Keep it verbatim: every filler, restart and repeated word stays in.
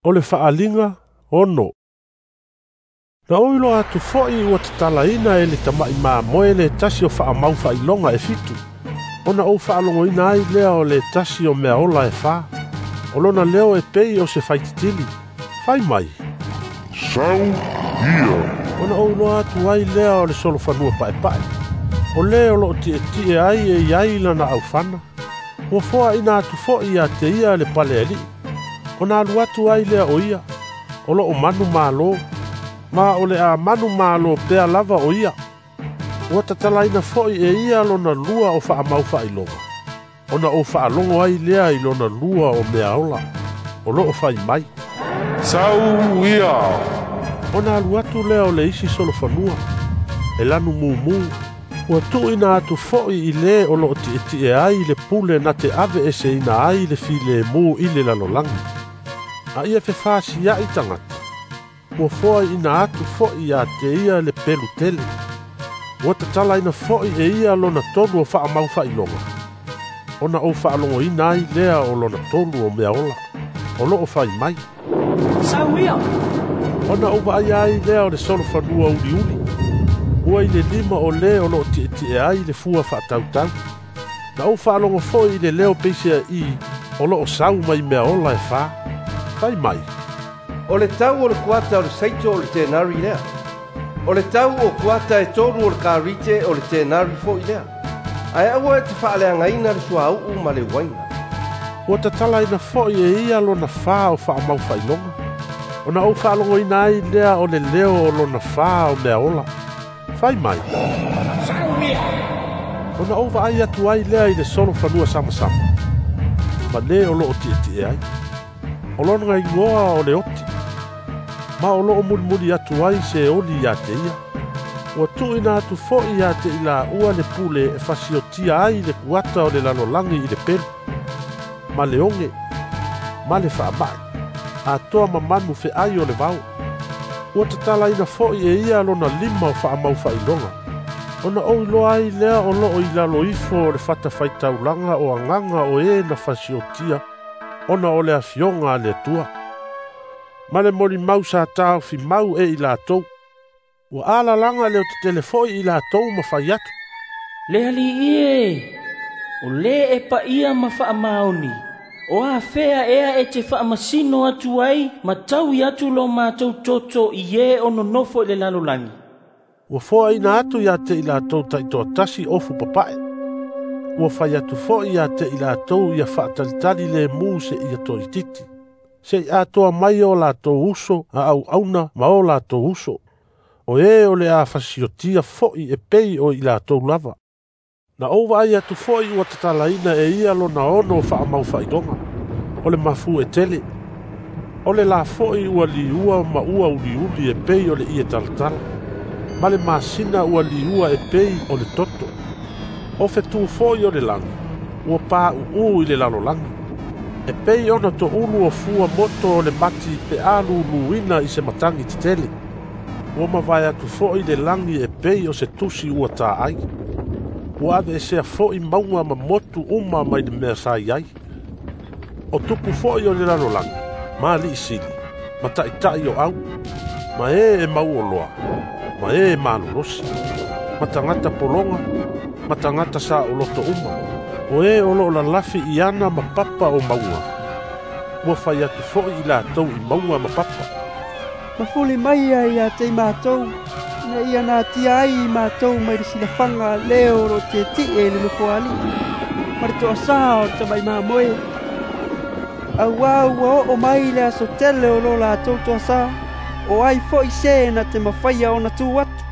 O le faaaliga ono. Na ou iloa atu foi ua tatalaina e le tama'i mamoe le tasi o faamau faailoga e fitu, ona ou faalogoina ai lea o le tasi o mea ola e fa. O lona leo e pei o se faititili, fai mai, "Sau ia." Ona ou iloa atu ai lea o le solofanua paepae. O le o loo tietie ai e iai lana aufana. Ua foaina atu foi ia te ia le pale alii. Ona alu atu ai lea o ia, o loo manu malo, ma o le a manu malo pea lava o ia. Ua tatalaina foi e ia lona lua o faamau faailoga, ona ou faalogo ai lea i lona lua o mea ola, o loo fai mai, "Sau ia." Ona alu atu lea o le isi solofanua, e lanu mumu, ua tuuina atu foi i le o loo tietie ai le pule na te ave eseina ai le filemu i le lalolagi. A ia fefasia'i tagata, ua foaiina atu foi ia te ia le pelu tele. Ua tatalaina foi e ia lona tolu o faamau faailoga, ona ou faalogoina ai lea o lona tolu o mea ola, o loo fai mai, "Sau ia." Ona ou vaaia ai lea o le solofanua uliuli, ua i le lima o le o loo tietie ai le fua faatautau. Na ou faalogo foi i le leo peisea'i o loo sau mai mea ola e fa, fai mai, "O le tau o le kuata o le saito o le tenari lea. O le tau o kuata e tolu o le karite o le tenari foi lea. Ae aua e te faaleagaina le suauu ma le uaina." Ua tatalaina foi e ia lona fa o faamau faailoga, ona ou faalogoina ai lea o le leo o lona fa o mea ola, fai mai, "Sau ia." Ona ou vaai atu ai lea i le solofanua samasama, ma le o loo tietie ai. O lona igoa o le oti, ma o loo mulimuli atu ai se oli ia te ia. Ua tuuina atu foi ia te i laua le pule e fasiotia ai le kuata o le lalolagi i le pelu, ma le oge, ma le faama'i, atoa ma manu feai o le vao. Ua tatalaina foi e ia lona lima o faamau faailoga, ona ou iloa ai lea o loo i lalo ifo o le fatafaitaulaga o agaga o e na fasiotia, ona o le afioga a le Atua. Ma le molimau sa taofi mau e i latou. Ua alalaga le otetele foi i latou ma fai atu, "Le alii e, o le e paia ma faamaoni, o afea ea e te faamasino atu ai ma taui atu lo matou toto i e o nonofo i le lalolagi." Ua foaina atu ia te i latou taitoatasi ofu papae. Ua fai atu foi ia te i latou ia faatalitali le mu se ia toititi, se i atoa mai o latou uso a auauna ma o latou uso, o e o le a fasiotia foi e pei o i latou lava. Na ou vaai atu foi ua tatalaina e ia lona ono o faamau faailoga, o le mafu e tele. O le la foi ua liua ma ua uliuli e pei o le ie talatala, ma le masina ua liua e pei o le toto. O fetu foi o le lagi, ua pāuū i le lalolagi, e pei ona toulu o fua moto o le mati pe a luluina i se matagi tetele. Ua mavae atu foi le lagi e pei o se tusi ua taai. Ua aveesea foi mauga ma motu uma mai le mea sa i ai. O tupu foi o le lalolagi, ma alii sili, ma taʻitaʻi o au, ma e e mauoloa, ma e e malolosi, ma tagata pologa, ma tagata saoloto uma, o e o loo lalafi i ana ma papa o mauga. Ua fai atu foi i latou i mauga ma papa, "Mafuli mai ia ia te i matou, ina ia natia ai i matou mai le silafaga le o loo tietie i le nofoalii, ma le toasā o le tama'i mamoe. Auā ua oo mai le aso tele o lo latou toasā, o ai foi se na te mafaia ona tu atu."